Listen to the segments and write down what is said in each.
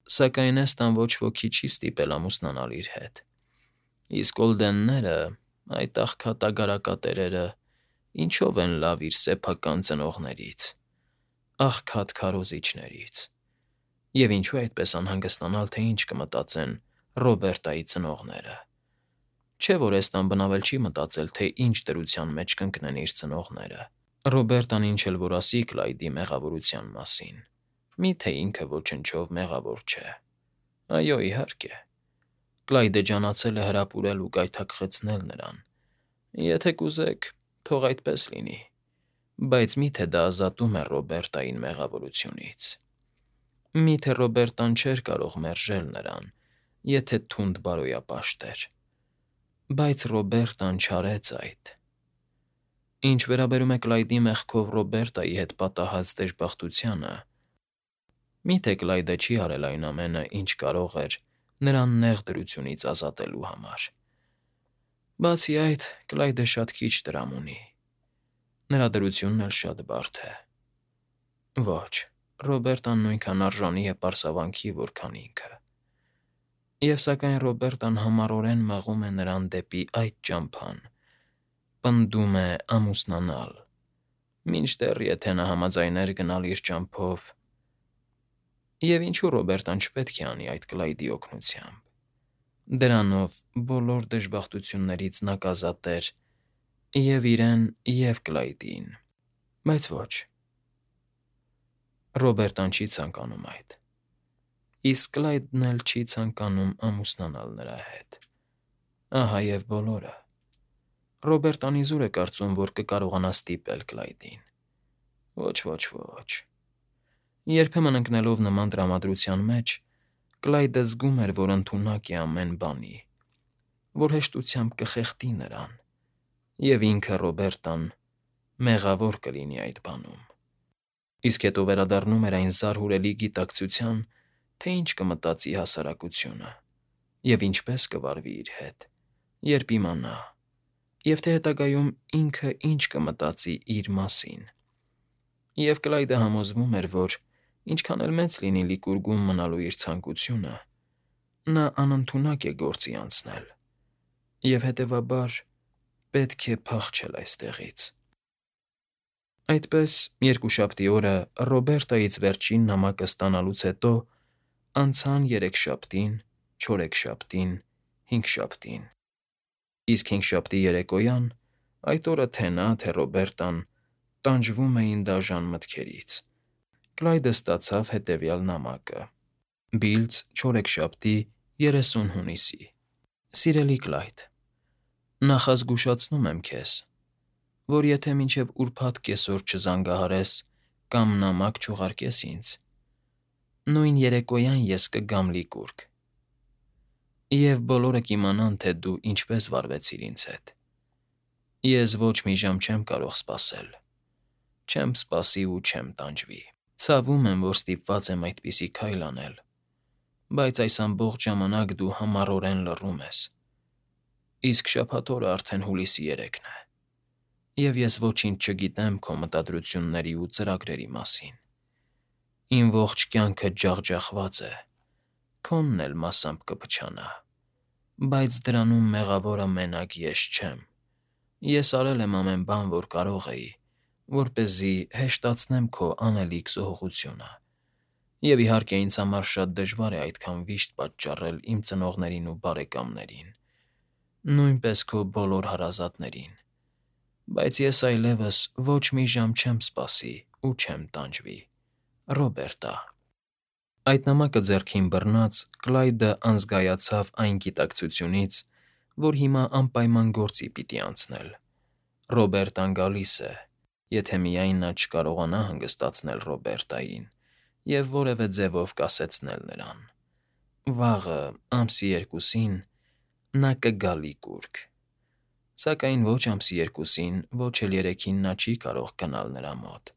Սակայն Էստան ոչ ոքի չի ստիպել ամուսնանալ իր հետ։ Իսկ Օլդենները, այդ աղքատ-ագարակատերերը, ինչով են լավ իր սեփական ծնողներից, աղքատ քարոզիչներից։ Եվ ինչու այդպես անհանգստանալ, թե ինչ կմտածեն Ռոբերտայի ծնողները։ Չէ՞ որ Էստան բնավել չի մտածել, թե ինչ դրության մեջ կընկնեն իր ծնողները։ Ռոբերտան ինչ էլ որ ասի Կլայդի մեղավորության մասին, միթե ինքը ոչնչով մեղավոր չէ։ Այո, իհարկե։ Կլայդը ջանացել է հրապուրել ու գայթակղեցնել նրան։ Եթե կուզեք, թող այդպես լինի, բայց միթե դա ազատում է Ռոբերտային մեղավորությունից։ Միթե Ռոբերտան չէր կարող մերժել նրան, եթե թունդ բարոյապաշտ էր։ Բայց Ռոբերտան չարեց այդ։ Ինչ վերաբերում է Կլայդի մեղքով Ռոբերտայի հետ պատահած դժբախտությանը, միթե Կլայդը չի արել այն ամենը, ինչ կարող էր նրան նեղ դրությունից ազատելու համար։ Բացի այդ, Կլայդը շատ քիչ տրամ ունի։ Նրա դրությունն էլ շատ բարդ է։ Ոչ, Ռոբերտան նույնքան արժանի է պարսավանքի, որքան ինքը։ Եվ սակայն Ռոբերտան համառորեն մղում է նրան դեպի այդ ճամփան, պնդում է ամուսնանալ, մինչդեռ եթե նա համաձայներ գնալ իր ճամփով։ Եվ ինչու Ռոբերտան չպետք է անի այդ Կլայդի օգնությամբ։ Դրանով բոլոր դժբախտություններից նա կազատեր և իրեն, և Կլայդին։ Բայց ոչ։ Ռոբերտան չի ցանկանում այդ։ Իսկ Կլայդն էլ չի ցանկանում ամուսնանալ նրա հետ։ Ահա և բոլորը։ Ռոբերտան իզուր է կարծում, որ կկարողանա ստիպել Կլայդին։ Ոչ, ոչ, ոչ։ Երբեմն ընկնելով նման տրամադրության մեջ, Կլայդը զգում էր, որ ընդունակ է ամեն բանի, որ հեշտությամբ կխեղդի նրան, և ինքը Ռոբերտան մեղավոր կլինի այդ բանում։ Իսկ հետո վերադառնում էր այն զարհուրելի գիտակցության, թե ինչ կմտածի հասարակությունը և ինչպես կվարվի իր հետ, երբ իմանա, և թե հետագայում ինքը ինչ կմտածի իր մասին։ Եվ Կլայդը համոզվում էր, որ ինչքան էլ մեծ լինի Լիկուրգում մնալու իր ցանկությունը, նա անընդունակ է գործի անցնել, և հետևաբար պետք է փախչել այստեղից։ Այդպես, երկուշաբթի օրը Ռոբերտայից վերջին նամակը ստանալուց հետո անցան երեքշաբթին, չորեքշաբթին, հինգշաբթին։ Իսկ հինգշաբթի երեկոյան, այդ օրը թե նա, թե Ռոբերտան տանջվում էին դաժան մտքերից։ Կլայդը ստացավ հետևյալ նամակը. Բիլձ, չորեքշաբթի, 30 հունիսի։ Սիրելի Կլայդ, նախազգուշացնում եմ քեզ, որ եթե մինչև ուրբաթ կեսօր չզանգահարես կամ նամակ չուղարկես ինձ, նույն երեկոյան ես կգամ Լիկուրգ, և բոլորը կիմանան, թե դու ինչպես վարվեցիր ինձ հետ։ Ես ոչ մի ժամ չեմ կարող սպասել։ Չեմ սպասի ու չեմ տանջվի։ Ցավում եմ, որ ստիպված եմ այդպիսի քայլ անել, բայց այս ամբողջ ժամանակ դու համառորեն լռում ես։ Իսկ շաբաթ օրը արդեն հուլիսի 3-ն է, և ես ոչինչ չգիտեմ քո մտադրությունների ու ծրագրերի մասին։ Իմ ողջ կյանքը ջախջախված է, քոնն էլ մասամբ կփչանա, բայց դրանում մեղավորը մենակ ես չեմ։ Ես արել եմ ամեն բան, որ կարող էի, որպեսզի հեշտացնեմ քո անելիք զոհողությունը, և իհարկե ինձ համար շատ դժվար է այդքան վիշտ պատճառել իմ ծնողներին ու բարեկամներին, նույնպես քո բոլոր հարազատներին, բայց ես այլևս ոչ մի ժամ չեմ սպասի ու չեմ տանջվի։ Ռոբերտա։ Այդ նամակը ձեռքին բռնած՝ Կլայդը անզգայացավ այն գիտակցությունից, որ հիմա անպայման գործի պիտի անցնել։ Ռոբերտան գալիս է, եթե միայն նա չկարողանա հանգստացնել Ռոբերտային և որևէ ձևով կասեցնել նրան։ Վաղը, ամսի 2-ին նա կգա Լիկուրգ։ Սակայն ոչ ամսի 2-ին, ոչ էլ 3-ին նա չի կարող գնալ նրա մոտ։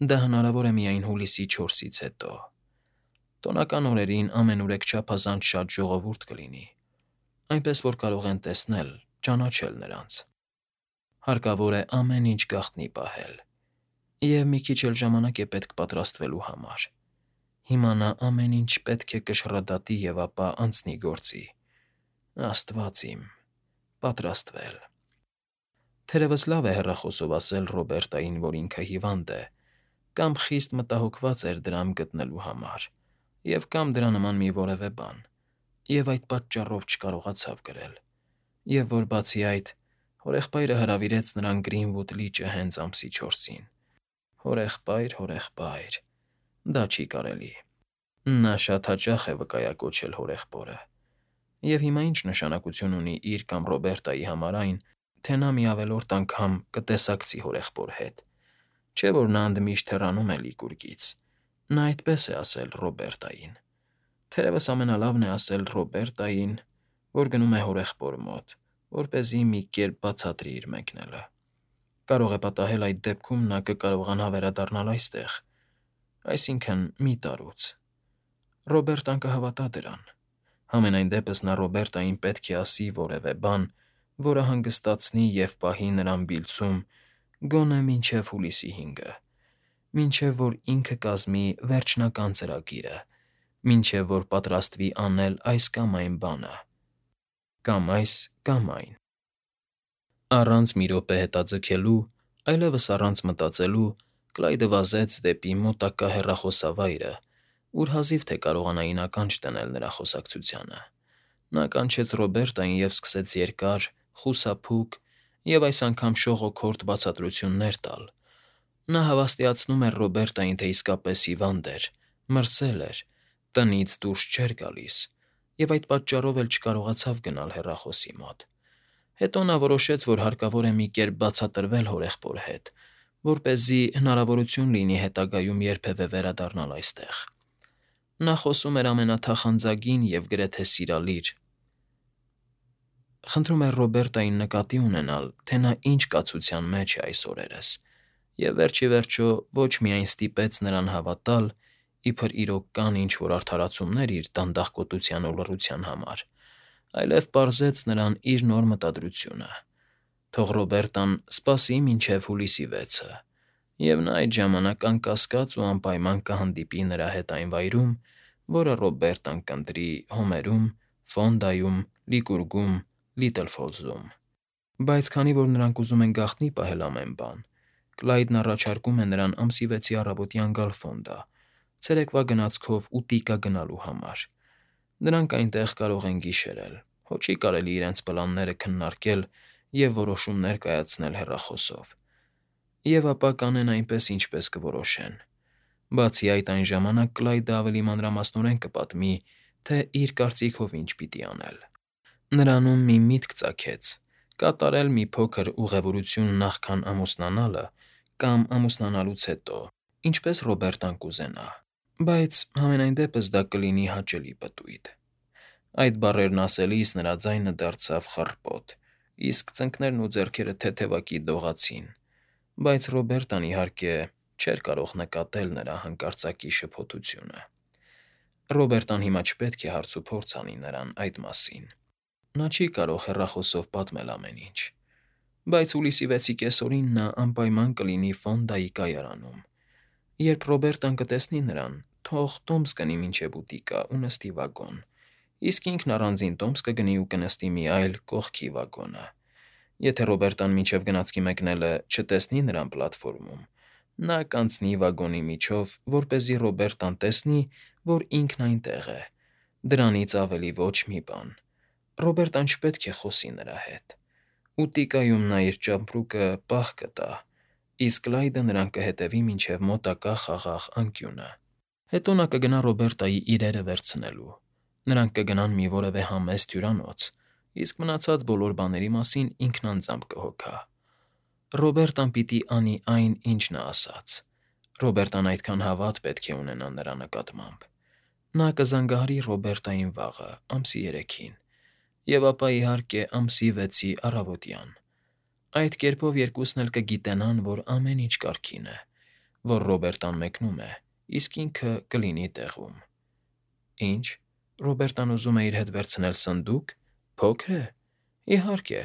Դա հնարավոր է միայն հուլիսի 4-ից հետո։ Տոնական օրերին ամենուրեք չափազանց շատ ժողովուրդ կլինի, այնպես որ կարող են տեսնել, ճանաչել նրանց։ Հարկավոր է ամեն ինչ գաղտնի պահել, և մի քիչ էլ ժամանակ է պետք պատրաստվելու համար։ Հիմա նա ամեն ինչ պետք է կշռադատի և ապա անցնի գործի։ Աստված իմ, պատրաստվել։ Թերևս լավ է հեռախոսով ասել Ռոբերտային, որ ինքը հիվանդ է, կամ խիստ մտահոգված էր դրամ գտնելու համար, և կամ դրա նման մի որևէ բան, և այդ պատճառով չկարողացավ գրել, և որ բացի այդ, հորեղբայրը հրավիրեց նրան Գրինվուդ լիճը հենց ամսի 4-ին։ Հորեղբայր, դա չի կարելի։ Նա շատ հաճախ է վկայակոչել հորեղբորը։ Եվ հիմա ինչ նշանակություն ունի իր կամ Ռոբերտայի համար այն, թե նա մի ավելորդ անգամ կտեսակցի հորեղբոր հետ։ Չէ՞ որ նա ընդմիշտ հեռանում է Լիկուրգից։ Նա այդպես է ասել Ռոբերտային։ Թերևս ամենալավն է ասել Ռոբերտային, որ գնում է հորեղբոր մոտ, որպեսզի մի կերպ բացատրի իր մեկնելը։ Կարող է պատահել այդ դեպքում նա կկարողանա վերադառնալ այստեղ, այսինքն՝ մի տարուց։ Ռոբերտան կհավատա դրան։ Համենայն դեպս նա Ռոբերտային պետք է ասի որևէ բան, որը հանգստացնի և պահի նրան բիլցում գոնե մինչև հուլիսի 5-ը, մինչև որ ինքը կազմի վերջնական ծրագիրը, մինչև որ պատրաստվի անել այս կամ այն բանը, կամ այս կամ այն։ Առանց մի րոպե հետաձգելու, այլևս առանց մտածելու Կլայդը վազեց դեպի մոտակա հեռախոսավայրը, ուր հազիվ թե կարողանային ականջ դնել նրա խոսակցությանը։ Նա կանչեց Ռոբերտային և սկսեց երկար, խուսափուկ և այս անգամ շողոքորթ բացատրություններ տալ։ Նա հավաստիացնում էր Ռոբերտային, թե իսկապես հիվանդ էր, մրսել էր, տնից դուրս չէր գալիս, և այդ պատճառով էլ չկարողացավ գնալ հեռախոսի մոտ։ Հետո նա որոշեց, որ հարկավոր է մի կերպ բացատրվել հորեղբոր հետ, որպեսզի հնարավորություն լինի հետագայում երբևէ վերադառնալ այստեղ։ Նա խոսում էր ամենաթախանձագին և գրեթե սիրալիր։ Խնդրում էր Ռոբերտային նկատի ունենալ, թե նա ինչ կացության մեջ է այս օրերս, և վերջ ի վերջո ոչ միայն ստիպեց նրան հավատալ, իբր իրոք կան ինչ֊որ արդարացումներ իր դանդաղկոտության ու լռության համար, այլև պարզեց նրան իր նոր մտադրությունը. թող Ռոբերտան սպասի մինչև հուլիսի 6-ը, և նա այդ ժամանակ անկասկած ու անպայման կհանդիպի նրա հետ այն վայրում, որը Ռոբերտան կընտրի Հոմերում, Ֆոնդայում, Լիկուրգում, Լիթլ Ֆոլզում։ Բայց քանի որ նրանք ուզում են գաղտնի պահել ամեն բան, Կլայդն առաջարկում է նրան ամսի 6-ի առավոտյան գալ Ֆոնդա, ցերեկվա գնացքով ուտիկա գնալու համար։ Նրանք այնտեղ կարող են գիշերել, հո չի կարելի իրենց պլանները քննարկել և որոշումներ կայացնել հեռախոսով։ Եվ ապա կանեն այնպես, ինչպես կորոշեն։ Բացի այդ, այն ժամանակ Կլայդը ավելի մանրամասնորեն կպատմի, թե իր կարծիքով ինչ պիտի անել։ Նրանում մի միտք ծագեց՝ կատարել մի փոքր ուղևորություն նախքան ամուսնանալը կամ ամուսնանալուց հետո, ինչպես Ռոբերտան կուզենա, բայց համենայն դեպս դա կլինի հաճելի պտույտ։ Այդ բառերն ասելիս նրա ձայնը դարձավ խռպոտ, իսկ ծնկներն ու ձեռքերը թեթևակի դողացին, բայց Ռոբերտան, իհարկե, չէր կարող նկատել նրա հանկարծակի շփոթությունը։ Ռոբերտան հիմա չպետք է հարցուփորձ անի նրան այդ մասին։ Նա չի կարող հեռախոսով պատմել ամեն ինչ։ Բայց հուլիսի 6-ի կեսօրին նա անպայման կլինի Ֆոնդայի կայարանում։ Երբ Ռոբերտան կտեսնի նրան, թող տոմս գնի մինչև ուտիկա ու նստի վագոն, իսկ ինքն առանձին տոմս կգնի ու կնստի մի այլ կողքի վագոնը։ Եթե Ռոբերտան մինչև գնացքի մեկնելը չտեսնի նրան պլատֆորմում, նա կանցնի վագոնի միջով, որպեսզի Ռոբերտան տեսնի, որ ինքն այնտեղ է։ Դրանից ավելի ոչ մի բան։ Ռոբերտան չպետք է խոսի նրա հետ։ Ուտիկայում նա իր ճամպրուկը պահ կտա, իսկ Կլայդը նրան կհետևի մինչև մոտակա խաղաղ անկյունը։ Հետո նա կգնա Ռոբերտայի իրերը վերցնելու։ Նրանք կգնան մի որևէ համեստ հյուրանոց, իսկ մնացած բոլոր բաների մասին ինքն անձամբ կհոգա։ Ռոբերտան պիտի անի այն, ինչ նա ասաց։ Ռոբերտան այդքան հավատ պետք է ունենա նրա նկատմամբ։ Նա կզանգահարի Ռոբերտային վաղը, ամսի 3-ին, և ապա, իհարկե, ամսի 6-ի առավոտյան։ Այդ կերպով երկուսն էլ կգիտենան, որ ամեն ինչ կարգին է, որ Ռոբերտան մեկնում է, իսկ ինքը կլինի տեղում։ Ինչ, Ռոբերտան ուզում է իր հետ վերցնել սնդուկ։ Փոքր է։ Իհարկե,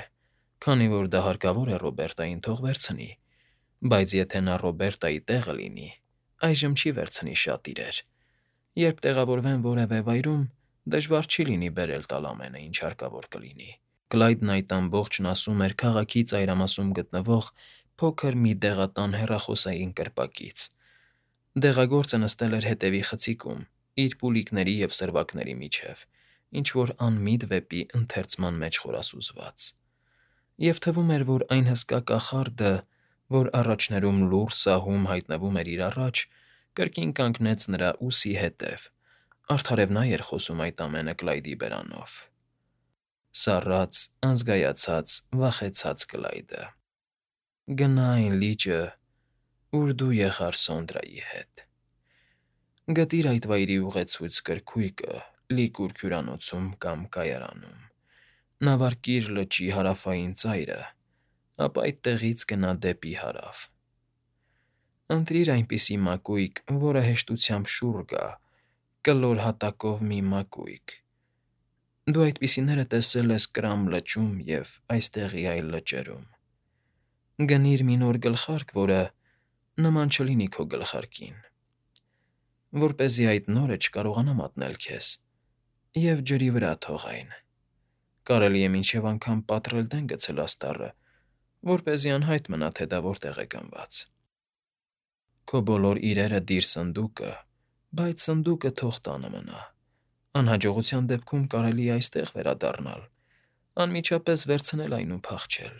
քանի որ դա հարկավոր է Ռոբերտային, թող վերցնի, բայց եթե նա Ռոբերտայի տեղը լինի, այժմ չի վերցնի շատ իրեր։ Երբ տեղավորվեն որևէ վայրում, դժվար չի լինի բերել տալ ամենը, ինչ հարկավոր կլինի։ Կլայդն այդ ամբողջն ասում էր քաղաքի ծայրամասում գտնվող փոքր մի դեղատան հեռախոսային կրպակից։ Դեղագործը նստել էր հետևի խցիկում, իր պուլիկների և սրվակների միջև, ինչ-որ անմիտ վեպի ընթերցման մեջ խորասուզված։ Եվ թվում էր, որ այն հսկա կախարդը, որ առաջներում լուռ սահում հայտնվում էր իր առաջ, կրկին կանգնեց նրա ուսի հետև, արդարև նա էր խոսում այդ ամենը Կլայդի բերանով։ Սառած, անզգայացած, վախեցած Կլայդը։ Գնա այն լիճը, ուր դու եղար Սոնդրայի հետ։ Գտիր այդ վայրի ուղեցույց կրքույկը լիքուր հյուրանոցում կամ կայարանում։ Նավարկիր լճի հարավային ծայրը, ապա այդտեղից գնա դեպի հարավ։ Ընտրիր այնպիսի մակույկ, որը հեշտությամբ շուռ գա, կլոր հատակով մի մակույկ։ Դու այդպիսիները տեսել ես Կրամ լճում և այստեղի այլ լճերում։ Գնիր մի նոր գլխարկ, որը նման չլինի քո գլխարկին, որպեսզի այդ նորը չկարողանա մատնել քեզ, և ջրի վրա թող այն։ Կարելի է մինչև անգամ պատռել դեն գցել աստառը, որպեսզի անհայտ մնա, թե դա որտեղ է գնված։ Քո բոլոր իրերը դիր սնդուկը, բայց սնդուկը թող տանը մնա։ Անհաջողության դեպքում կարելի է այստեղ վերադառնալ, անմիջապես վերցնել այն ու փախչել։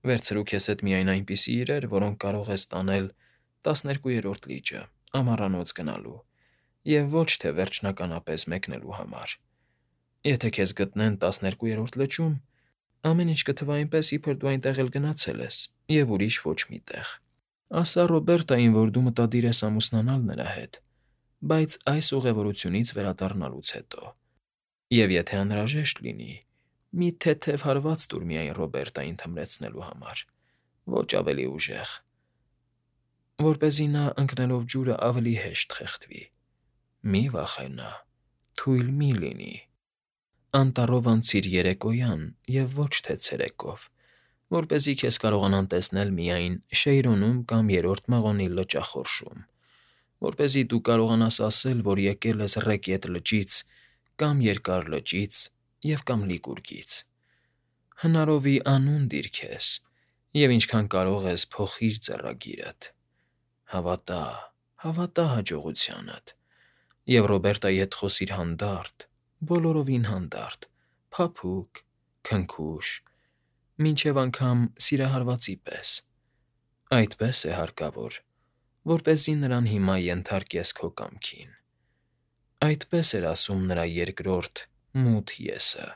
Վերցրու քեզ հետ միայն այնպիսի իրեր, որոնք կարող ես տանել 12-րդ լիճը, ամառանոց գնալու, և ոչ թե վերջնականապես մեկնելու համար։ Եթե քեզ գտնեն 12-րդ լճում, ամեն ինչ կթվա այնպես, իբր դու այնտեղ էլ գնացել ես, և ուրիշ ոչ մի տեղ։ Ասա Ռոբերտային, որ դու մտադիր ես ամուսնանալ նրա հետ, բայց այս ուղևորությունից վերադառնալուց հետո։ Եվ եթե անհրաժեշտ լինի, մի թեթև հարված տուր միայն Ռոբերտային թմրեցնելու համար, ոչ ավելի ուժեղ, որպեսզի նա ընկնելով ջուրը ավելի հեշտ խեղդվի։ Մի վախենա, թույլ մի լինի։ Անտառով անցիր երեկոյան և ոչ թե ցերեկով, որպեսզի քեզ կարողանան տեսնել միայն Շեյրոնում կամ Երրորդ մղոնի լճախորշում, որպեսզի դու կարողանաս ասել, որ եկել ես Ռեկետ լճից կամ Երկար լճից և կամ Լիկուրգից։ Հնարովի անուն դիր քեզ, և ինչքան կարող ես փոխիր ձեռագիրդ։ Հավատա, հավատա հաջողությանդ, և Ռոբերտայի հետ խոսիր հանդարտ, բոլորովին հանդարտ, փափուկ, քնքուշ, մինչև անգամ սիրահարվածի պես։ Այդպես է հարկավոր, որպեսզի նրան հիմա ենթարկես քո կամքին։ Այդպես էր ասում նրա երկրորդ մութ ես֊ը։